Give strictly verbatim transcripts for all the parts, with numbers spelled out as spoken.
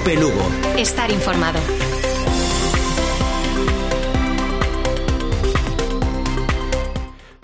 Cope Lugo. Estar informado.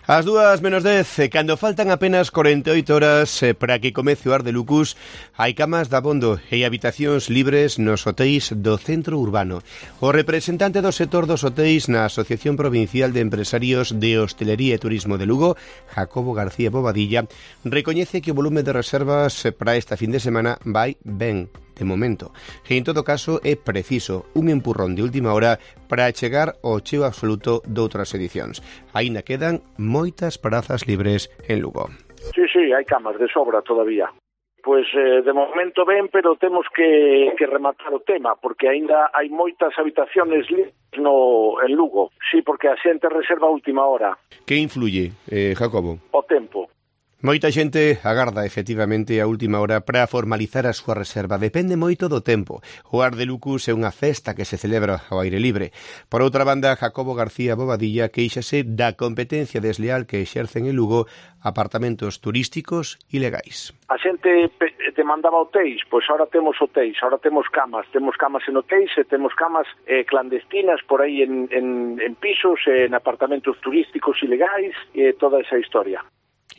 As dúas menos dez, cando faltan apenas corenta e oito horas eh, para que comece o Ar de Lucus, hai camas de abondo e habitacións libres nos hotéis do centro urbano. O representante do sector dos hotéis na Asociación Provincial de Empresarios de Hostelería e Turismo de Lugo, Jacobo García Bobadilla, recoñece que o volume de reservas para esta fin de semana vai ben, de momento, e en todo caso é preciso un empurrón de última hora para chegar ao cheo absoluto doutras edicións. Aínda quedan moitas prazas libres en Lugo. Sí, sí, hai camas de sobra todavía. Pois eh, de momento ben, pero temos que, que rematar o tema, porque aínda hai moitas habitaciones libres no, en Lugo. Sí, porque a xente reserva a última hora. Que influye, eh, Jacobo? O tempo. Moita xente agarda efectivamente a última hora para formalizar a súa reserva. Depende moito do tempo. O Ar de Lucus é unha festa que se celebra ao aire libre. Por outra banda, Jacobo García Bobadilla queixase da competencia desleal que exercen en Lugo apartamentos turísticos ilegais. A xente te mandaba hotéis, pois ahora temos hotéis, ahora temos camas, temos camas en hotéis e temos camas eh, clandestinas por aí en, en, en pisos, en apartamentos turísticos ilegais e toda esa historia.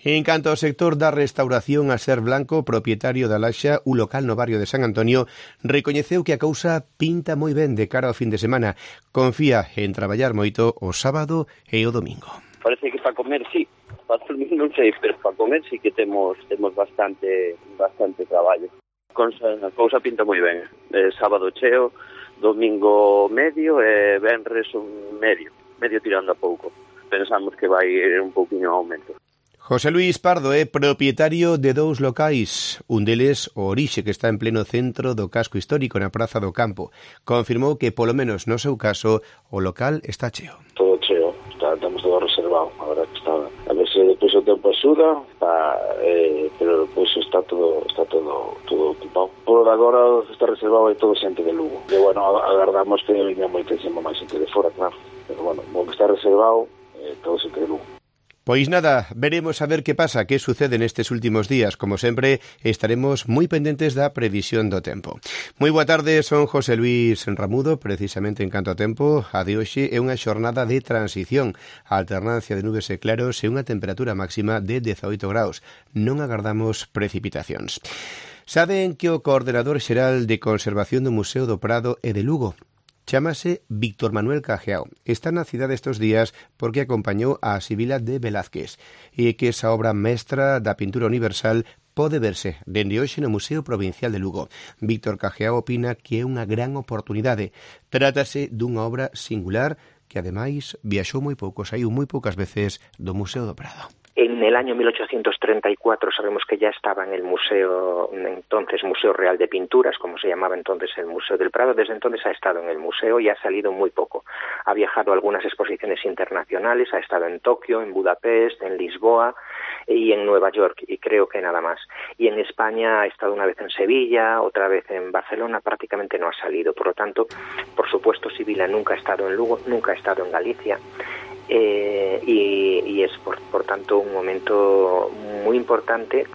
En canto ao sector da restauración, a Ser Blanco, propietario da Laxa, un local no barrio de San Antonio, recoñeceu que a cousa pinta moi ben de cara ao fin de semana. Confía en traballar moito o sábado e o domingo. Parece que para comer sí, para dormir non sei, pero para comer sí que temos temos bastante bastante traballo. A cousa pinta moi ben. Eh, sábado cheo, domingo medio e venres un medio, medio tirando a pouco. Pensamos que vai ir un pouquinho aumento. José Luis Pardo é propietario de dous locais, un deles o Orixe, que está en pleno centro do casco histórico na Praza do Campo. Confirmou que, polo menos no seu caso, o local está cheo. Todo cheo, está, estamos todo reservado, a verdad que está. A ver se depois o tempo axuda, está, eh, pero depois está todo está todo todo ocupado. Por agora está reservado e todo xente de Lugo. E, bueno, agardamos que venga moitísimo máis xente de fora, claro. Pero, bueno, como está reservado, eh, todo xente de Lugo. Pois nada, veremos a ver que pasa, que sucede nestes últimos días. Como sempre, estaremos moi pendentes da previsión do tempo. Moi boa tarde, son José Luis Ramudo. Precisamente en canto a tempo, a de hoxe é unha xornada de transición, a alternancia de nubes e claros e unha temperatura máxima de dezaoito graus. Non agardamos precipitacións. Saben que o coordenador xeral de conservación do Museo do Prado e de Lugo chámase Víctor Manuel Cajeao. Está na cidade estes días porque acompañou a Sibila de Velázquez e que esa obra mestra da pintura universal pode verse dende hoxe no Museo Provincial de Lugo. Víctor Cajeao opina que é unha gran oportunidade. Trátase dunha obra singular que ademais viaxou moi pouco, saiu moi poucas veces do Museo do Prado. En el año mil ochocientos treinta y cuatro sabemos que ya estaba en el museo, entonces Museo Real de Pinturas, como se llamaba entonces el Museo del Prado. Desde entonces ha estado en el museo y ha salido muy poco. Ha viajado a algunas exposiciones internacionales, ha estado en Tokio, en Budapest, en Lisboa y en Nueva York, y creo que nada más. Y en España ha estado una vez en Sevilla, otra vez en Barcelona, prácticamente no ha salido. Por lo tanto, por supuesto, Sibila nunca ha estado en Lugo, nunca ha estado en Galicia. Eh, y, y es por, por tanto un momento muy importante.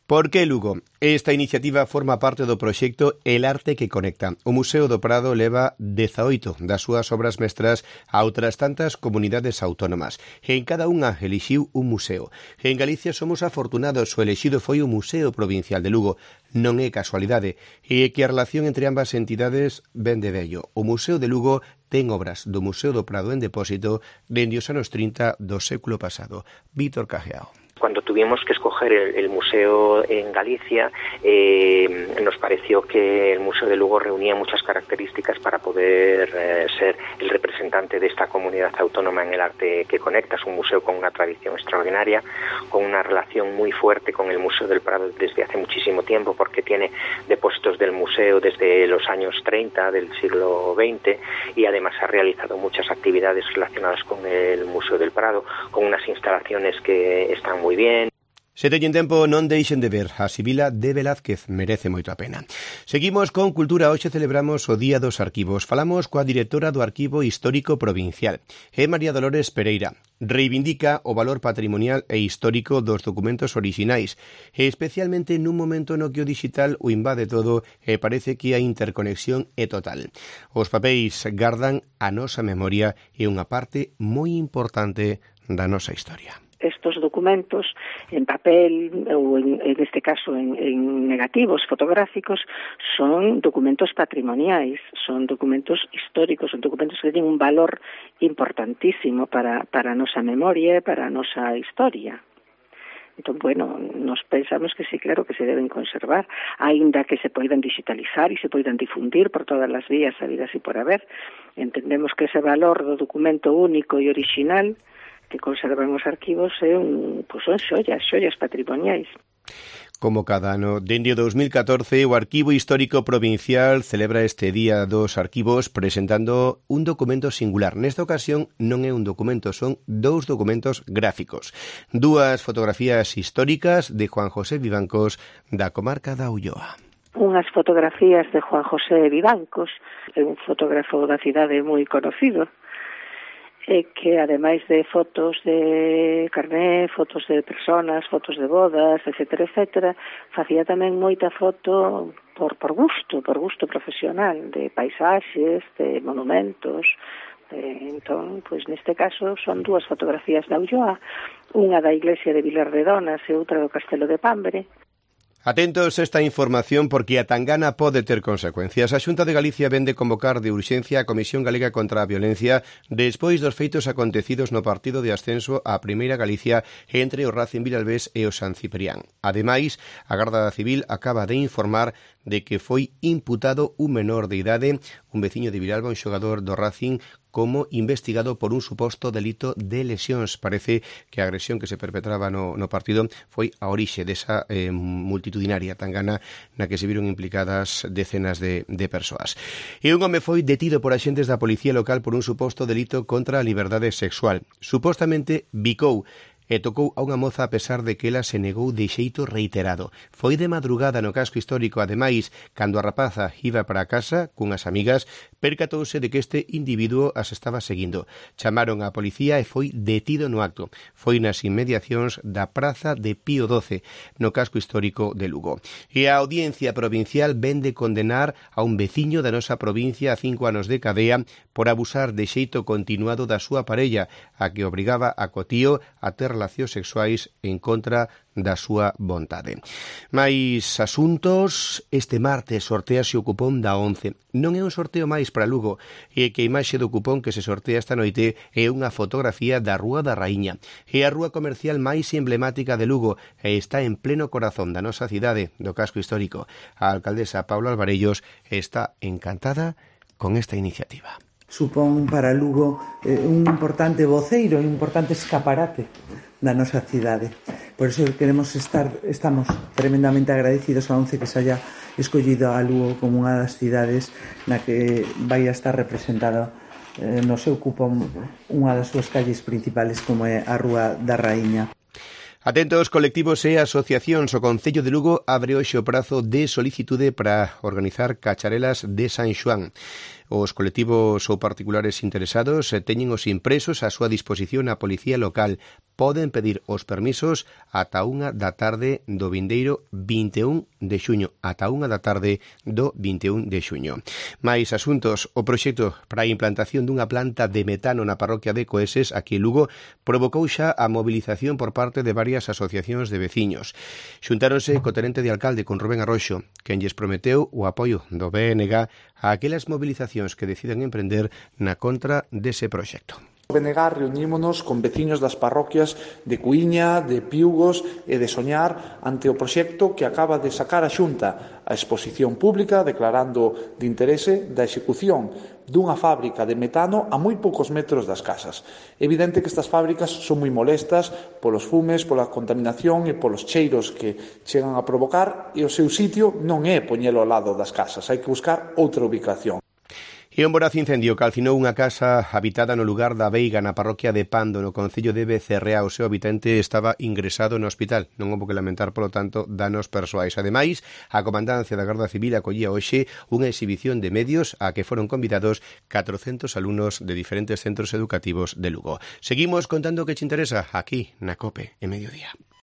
Por que Lugo? Esta iniciativa forma parte do proxecto El Arte que Conecta. O Museo do Prado leva dezaoito das súas obras mestras a outras tantas comunidades autónomas. En cada unha elixiu un museo. En Galicia somos afortunados, o elixido foi o Museo Provincial de Lugo. Non é casualidade. E que a relación entre ambas entidades ven de vello. O Museo de Lugo ten obras do Museo do Prado en depósito dende os anos trinta do século pasado. Víctor Cajeao. Cuando tuvimos que escoger el, el museo en Galicia, eh, nos pareció que el Museo de Lugo reunía muchas características para poder eh, ser el representante de esta comunidad autónoma en el arte que conecta. Es un museo con una tradición extraordinaria, con una relación muy fuerte con el Museo del Prado desde hace muchísimo tiempo, porque tiene depósitos del museo desde los años treinta del siglo veinte y además ha realizado muchas actividades relacionadas con el Museo del Prado, con unas instalaciones que están muy muy bien. Se teñen tempo, non deixen de ver a Sibila de Velázquez, merece moito a pena. Seguimos con Cultura, hoxe celebramos o Día dos Arquivos. Falamos coa directora do Arquivo Histórico Provincial, é María Dolores Pereira. Reivindica o valor patrimonial e histórico dos documentos orixinais, e especialmente nun momento no que o digital o invade todo e parece que a interconexión é total. Os papéis gardan a nosa memoria e unha parte moi importante da nosa historia. Estos documentos en papel ou en, en este caso en, en negativos fotográficos son documentos patrimoniais, son documentos históricos, son documentos que tienen un valor importantísimo para, para a nosa memoria e para a nosa historia. Entón, bueno, nos pensamos que sí, claro, que se deben conservar, aínda que se poidan digitalizar e se poidan difundir por todas as vías habidas e por haber. Entendemos que ese valor do documento único e orixinal que conservan os arquivos é un, pues son xollas, xollas patrimoniais. Como cada ano, dende o dos mil catorce, o Arquivo Histórico Provincial celebra este Día dos Arquivos presentando un documento singular. Nesta ocasión non é un documento, son dous documentos gráficos. Dúas fotografías históricas de Juan José Vivancos da comarca da Ulloa. Unhas fotografías de Juan José Vivancos, é un fotógrafo da cidade moi conocido, e que ademais de fotos de carné, fotos de personas, fotos de bodas, etcétera, etcétera, facía tamén moita foto por, por gusto, por gusto profesional, de paisaxes, de monumentos. De, entón, pois neste caso son dúas fotografías da Ulloa, unha da iglesia de Vilar de Donas e outra do Castelo de Pambre. Atentos a esta información porque a tangana pode ter consecuencias. A Xunta de Galicia vende convocar de urxencia a Comisión Galega contra a Violencia despois dos feitos acontecidos no partido de ascenso á Primeira Galicia entre o Racing Vilalbés e o San Ciprián. Ademais, a Garda Civil acaba de informar de que foi imputado un menor de idade, un veciño de Vilalba, un xogador do Racing, como investigado por un suposto delito de lesións. Parece que a agresión que se perpetraba no, no partido foi a orixe desa eh, multitudinaria tangana na que se viron implicadas decenas de, de persoas. E un home foi detido por axentes da policía local por un suposto delito contra a liberdade sexual. Supostamente bicou e tocou a unha moza a pesar de que ela se negou de xeito reiterado. Foi de madrugada no casco histórico, ademais, cando a rapaza iba para a casa cunhas amigas, percatouse de que este individuo as estaba seguindo. Chamaron á policía e foi detido no acto. Foi nas inmediacións da praza de Pío doce, no casco histórico de Lugo. E a Audiencia Provincial vende condenar a un veciño da nosa provincia a cinco anos de cadea por abusar de xeito continuado da súa parella, a que obrigaba a cotío a ter relacións sexuais en contra da súa vontade. Mais asuntos, este martes sortease o cupón da once. Non é un sorteo máis para Lugo, e que a imaxe do cupón que se sortea esta noite é unha fotografía da Rúa da Raíña. É a rúa comercial máis emblemática de Lugo e está en pleno corazón da nosa cidade, do casco histórico. A alcaldesa Paula Alvarellos está encantada con esta iniciativa. Supón para Lugo eh, un importante voceiro, un importante escaparate da nosa cidade. Por iso queremos estar, estamos tremendamente agradecidos a ONCE que se haya escollido a Lugo como unha das cidades na que vai a estar representada eh, no seu cupón unha das súas calles principales como é a Rúa da Raíña. Atentos, colectivos e asociacións. O Concello de Lugo abre hoxe o prazo de solicitude para organizar cacharelas de San Xoán. Os colectivos ou particulares interesados teñen os impresos a súa disposición a Policía Local. Poden pedir os permisos ata unha da tarde do vindeiro vinte e un de xuño, ata unha da tarde do vinte e un de xuño. Mais asuntos, o proxecto para a implantación dunha planta de metano na parroquia de Coeses, aquí en Lugo, provocou xa a movilización por parte de varias asociacións de veciños. Xuntáronse co tenente de alcalde con Rubén Arroxo, quen lles prometeu o apoio do B N G a aquelas movilizacións que decidan emprender na contra dese proxecto. O B N G reunímonos con veciños das parroquias de Cuíña, de Piugos e de Soñar ante o proxecto que acaba de sacar a Xunta, a exposición pública declarando de interese da execución dunha fábrica de metano a moi poucos metros das casas. É evidente que estas fábricas son moi molestas polos fumes, pola contaminación e polos cheiros que chegan a provocar, e o seu sitio non é poñelo ao lado das casas, hai que buscar outra ubicación. E un voraz incendio calcinou unha casa habitada no lugar da Veiga, na parroquia de Pando, no concello de Becerrea. O seu habitante estaba ingresado no hospital. Non houbo que lamentar, polo tanto, danos persoais. Ademais, a Comandancia da Garda Civil acollía hoxe unha exhibición de medios a que foron convidados catrocentos alumnos de diferentes centros educativos de Lugo. Seguimos contando o que che interesa aquí na COPE en Mediodía.